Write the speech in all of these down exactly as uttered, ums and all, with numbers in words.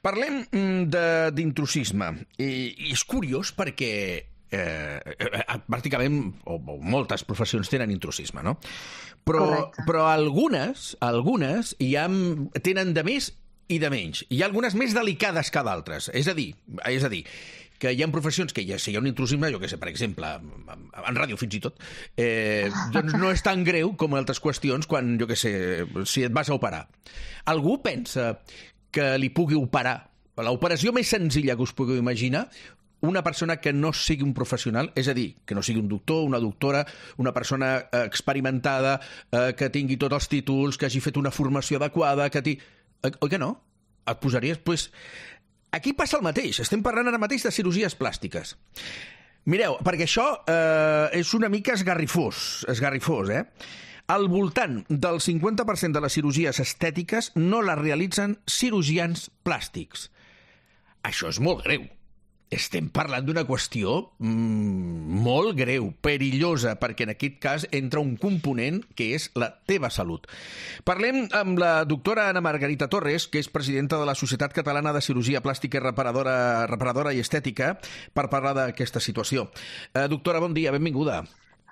Parlem d'intrusisme. I, I és curiós perquè eh, pràcticament, o, o moltes professions tenen intrusisme, no? Però, però algunes, algunes hi ha, tenen de més i de menys. Hi ha algunes més delicades que d'altres. És a dir, és a dir, que hi ha professions que ja, si hi ha un intrusisme, jo què sé, per exemple, en ràdio fins i tot, eh, doncs no és tan greu com altres qüestions quan, jo què sé, si et vas a operar. Algú pensa que li pugui operar, l'operació més senzilla que us pugueu imaginar, una persona que no sigui un professional, és a dir, que no sigui un doctor, una doctora, una persona experimentada, eh, que tingui tots els títols, que hagi fet una formació adequada, que tingui... Oi que no? Et posaries... Pues... Aquí passa el mateix. Estem parlant ara mateix de cirurgies plàstiques. Mireu, perquè això eh, és una mica esgarrifós, esgarrifós, eh? Al voltant del cinquanta per cent de les cirurgies estètiques no les realitzen cirurgians plàstics. Això és molt greu. Estem parlant d'una qüestió mmm, molt greu, perillosa, perquè en aquest cas entra un component que és la teva salut. Parlem amb la doctora Ana Margarita Torres, que és presidenta de la Societat Catalana de Cirurgia Plàstica i Reparadora, Reparadora i Estètica, per parlar d'aquesta situació. Eh, doctora, bon dia, benvinguda.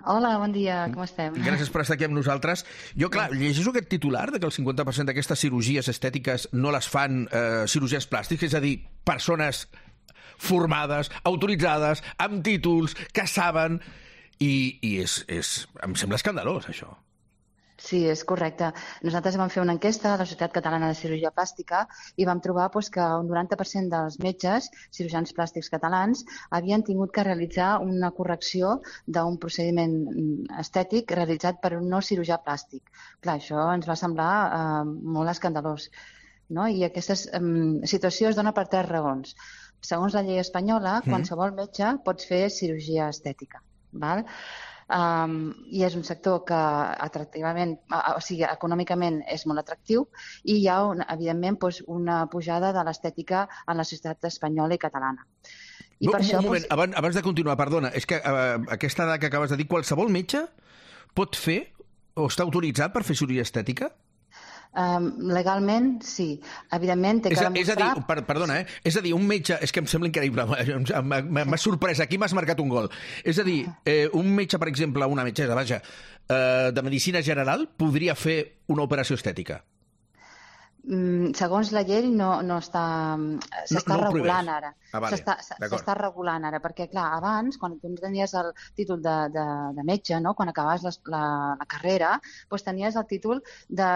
Hola, bon dia, com estem? Gràcies per estar aquí amb nosaltres. Jo, clar, llegeixo aquest titular de que el cinquanta per cent d'aquestes cirurgies estètiques no les fan eh, cirurgies plàstics, és a dir, persones formades, autoritzades, amb títols, que saben, i, i és, és, em sembla escandalós, això. Sí, és correcte. Nosaltres vam fer una enquesta a la Societat Catalana de Cirurgia Plàstica i vam trobar doncs, que un noranta per cent dels metges, cirurgians plàstics catalans, havien tingut que realitzar una correcció d'un procediment estètic realitzat per un no cirurgià plàstic. Clar, això ens va semblar eh, molt escandalós, no? I aquesta eh, situació es dona per tres raons. Segons la llei espanyola, mm. qualsevol metge pot fer cirurgia estètica, val? Um, i és un sector que atractivament, o sigui, econòmicament és molt atractiu i hi ha, un, evidentment, doncs, una pujada de l'estètica en la societat espanyola i catalana. I no, per un això, moment, doncs... abans, abans de continuar, perdona, és que uh, aquesta dada que acabes de dir, qualsevol metge pot fer o està autoritzat per fer cirurgia estètica? Um, legalment, sí. Evidentment, té que demostrar... És a dir, per, perdona, eh? És a dir, un metge... És que em sembla increïble, m'ha sorprès, aquí m'has marcat un gol. És a dir, eh, un metge, per exemple, una metgessa, vaja, eh, de medicina general, podria fer una operació estètica? Mm, segons la llei no, no està... S'està no, no regulant ara. Ah, vale. S'està regulant ara, perquè, clar, abans, quan tu tenies el títol de, de, de metge, no? Quan acabaves la, la, la carrera, doncs tenies el títol de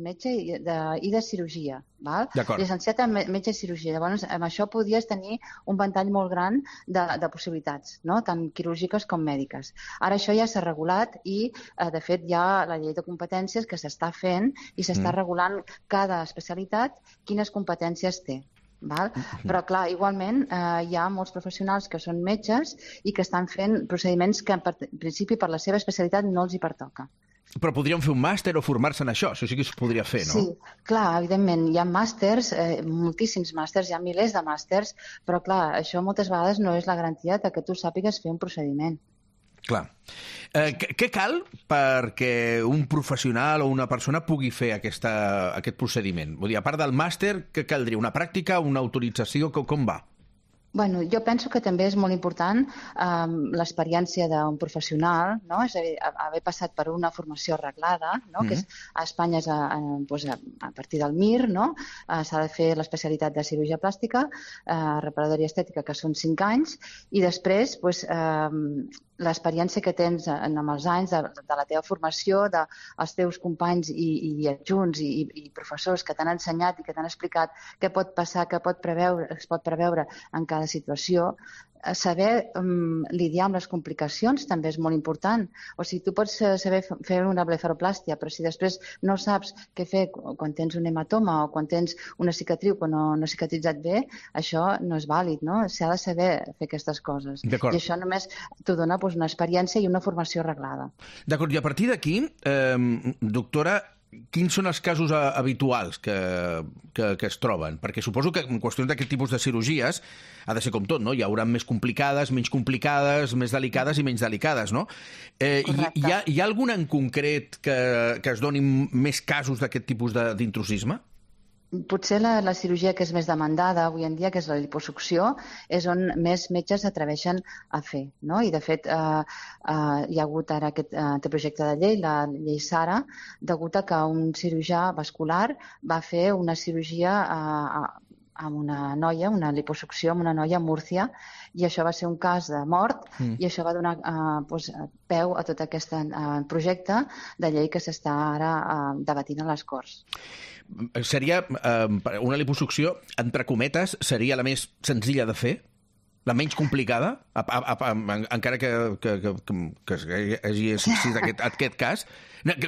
metge i de, i de cirurgia, val? Llicenciat en metge i cirurgia. Llavors, amb això podies tenir un ventall molt gran de, de possibilitats, no? Tant quirúrgiques com mèdiques. Ara això ja s'ha regulat i, eh, de fet, hi ha la llei de competències que s'està fent i s'està mm. regulant cada especialitat quines competències té. Val? Però, clar, igualment eh, hi ha molts professionals que són metges i que estan fent procediments que, en principi, per la seva especialitat no els hi pertoca. Però podríem fer un màster o formar-se en això, això sí que es podria fer, no? Sí, clar, evidentment, hi ha màsters, eh, moltíssims màsters, hi ha milers de màsters, però, clar, això moltes vegades no és la garantia de que tu sàpigues fer un procediment. Clar. Eh, què cal perquè un professional o una persona pugui fer aquesta, aquest procediment? Vull dir, a part del màster, què caldria? Una pràctica, una autorització? Com, com va? Bueno, jo penso que també és molt important um, l'experiència d'un professional, no? És a dir, haver passat per una formació reglada, no? Mm-hmm. Que és, a Espanya és a, a, doncs a, a partir del M I R, no? Uh, s'ha de fer l'especialitat de cirurgia plàstica, uh, reparadora i estètica, que són cinc anys, i després doncs, uh, l'experiència que tens en, amb els anys de, de la teva formació, dels teus companys i, i adjunts i, i professors que t'han ensenyat i que t'han explicat què pot passar, què pot preveure, es pot preveure en cada situació. Saber um, lidiar amb les complicacions també és molt important. O sigui, tu pots saber fer una blefaroplàstia, però si després no saps què fer quan tens un hematoma o quan tens una cicatriu que no, no ha cicatritzat bé, això no és vàlid, no? S'ha de saber fer aquestes coses. I això només t'ho dona doncs, una experiència i una formació reglada. D'acord, i a partir d'aquí, eh, doctora, quins són els casos habituals que, que, que es troben? Perquè suposo que en qüestions d'aquest tipus de cirurgies ha de ser com tot, no? Hi haurà més complicades, menys complicades, més delicades i menys delicades, no? Eh, hi, hi, ha, hi ha alguna en concret que, que es donin més casos d'aquest tipus d'intrusisme? Potser la, la cirurgia que és més demandada avui en dia, que és la liposucció, és on més metges s'atreveixen a fer, no? I, de fet, eh, eh, hi ha hagut ara aquest eh, projecte de llei, la llei Sara, degut a que un cirurgià vascular va fer una cirurgia eh, amb una noia, una liposucció amb una noia a Múrcia, i això va ser un cas de mort, mm. i això va donar eh, doncs, peu a tot aquest eh, projecte de llei que s'està ara eh, debatint a les Corts. Seria, eh, una liposucció, entre cometes, seria la més senzilla de fer? La menys complicada? A, a, a, encara que, que, que, que hagi existit aquest, aquest cas?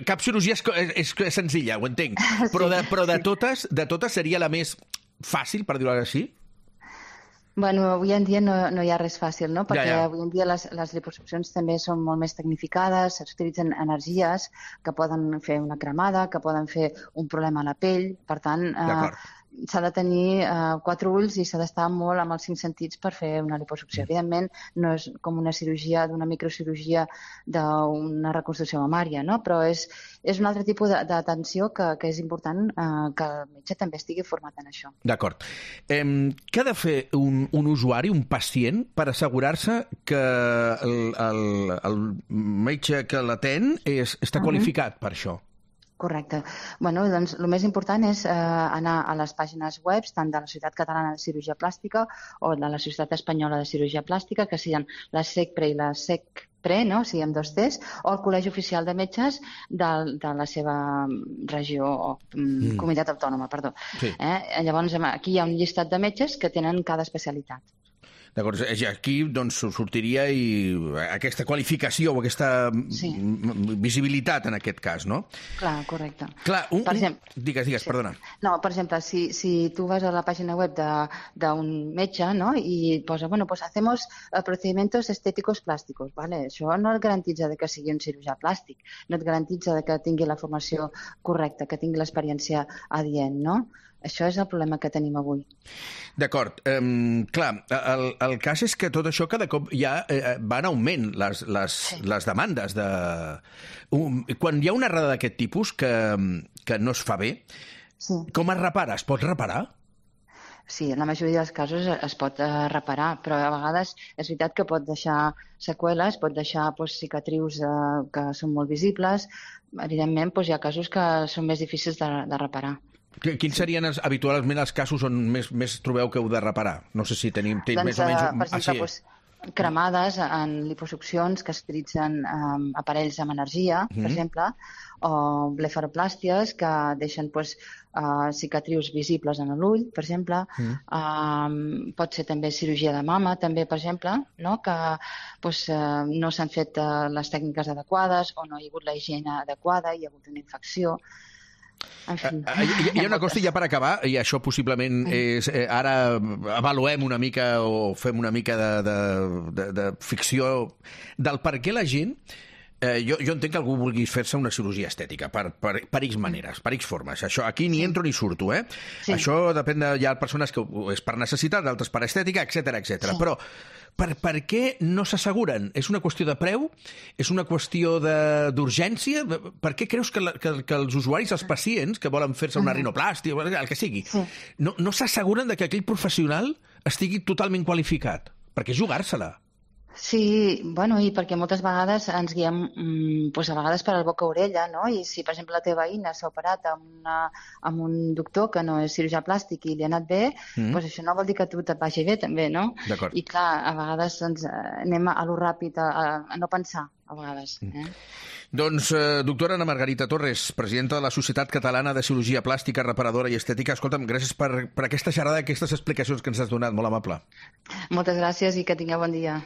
Cap cirurgia és, és, és senzilla, ho entenc. Però, de, però de, totes, de totes seria la més fàcil, per dir-ho així? Bueno, avui en dia no, no hi ha res fàcil, no? Perquè ja, ja. avui en dia les, les liposuccions també són molt més tecnificades, s'utilitzen energies que poden fer una cremada, que poden fer un problema a la pell, per tant, eh, s'ha de tenir eh, quatre ulls i s'ha d'estar molt amb els cinc sentits per fer una liposucció. Evidentment, no és com una cirurgia, d'una microcirurgia d'una reconstrucció mamària, no? Però és, és un altre tipus d'atenció que, que és important eh, que el metge també estigui format en això. D'acord. Eh, què ha de fer un, un usuari, un pacient, per assegurar-se que el, el, el metge que l'atén és, està qualificat uh-huh. per això? Correcte. Bueno, doncs, el més important és eh, anar a les pàgines web tant de la Societat Catalana de Cirurgia Plàstica o de la Societat Espanyola de Cirurgia Plàstica, que siguin la SECPRE i la SECPRE, no? O sigui, amb dos Ts, o el Col·legi Oficial de Metges de, de la seva regió o mm. comunitat autònoma, perdó. Sí. Eh? Llavors, aquí hi ha un llistat de metges que tenen cada especialitat. D'acord, aquí doncs, sortiria i aquesta qualificació o aquesta sí. visibilitat en aquest cas, no? Clar, correcte. Clar, un, per exemple, un... Digues, digues, sí. perdona. No, per exemple, si, si tu vas a la pàgina web d'un metge, no?, i posa, bueno, pues hacemos procedimientos estéticos plásticos, ¿vale? Això no et garantitza de que sigui un cirurgià plàstic, no et garantitza de que tingui la formació correcta, que tingui l'experiència adient, no? Això és el problema que tenim avui. D'acord. Um, clar, el, el cas és que tot això cada cop ja eh, va en augment, les, les, sí. les demandes. De... Um, quan hi ha una errada d'aquest tipus que, que no es fa bé, sí. com es repara? Es pot reparar? Sí, en la majoria dels casos es pot uh, reparar, però a vegades és veritat que pot deixar seqüeles, pot deixar doncs, cicatrius uh, que són molt visibles. Evidentment, doncs, hi ha casos que són més difícils de, de reparar. Quins serien els, habitualment els casos on més, més trobeu que heu de reparar? No sé si tenim doncs, més o menys... Per exemple, ah, sí. doncs, cremades en liposuccions que utilitzen um, aparells amb energia, mm-hmm. per exemple, o blefaroplàsties que deixen doncs, uh, cicatrius visibles en l'ull, per exemple. Mm. Um, pot ser també cirurgia de mama, també, per exemple, no? que doncs, uh, no s'han fet uh, les tècniques adequades o no hi ha hagut la higiene adequada, hi ha hagut una infecció. En fi. Uh, hi, hi ha una cosa, ja per acabar, i això possiblement és... Eh, ara avaluem una mica o fem una mica de, de, de, de ficció del per què la gent... Eh, jo, jo entenc que algú vulgui fer-se una cirurgia estètica per, per, per X maneres, per X formes. Això, aquí ni entro ni surto, eh? Sí. Això depèn de... Hi ha persones que és per necessitat, d'altres per estètica, etcètera, etcètera. Sí. Però per, per què no s'asseguren? És una qüestió de preu? És una qüestió d'urgència? Per què creus que, la, que, que els usuaris, els pacients, que volen fer-se una rinoplàstia, el que sigui, sí. no, no s'asseguren de que aquell professional estigui totalment qualificat? Perquè jugar-se-la. Sí, bueno, i perquè moltes vegades ens guiem mmm, doncs a vegades per al boca-orella, no? I si, per exemple, la teva veïna s'ha operat amb, una, amb un doctor que no és cirurgià plàstic i li ha anat bé, mm. doncs això no vol dir que a tu te't vagi bé, també, no? D'acord. I clar, a vegades doncs, anem a lo ràpid, a, a no pensar, a vegades. Eh? Mm. Doncs, eh, doctora Ana Margarita Torres, presidenta de la Societat Catalana de Cirurgia Plàstica, Reparadora i Estètica, escolta'm, gràcies per, per aquesta xerrada, aquestes explicacions que ens has donat, molt amable. Moltes gràcies i que tingueu bon dia.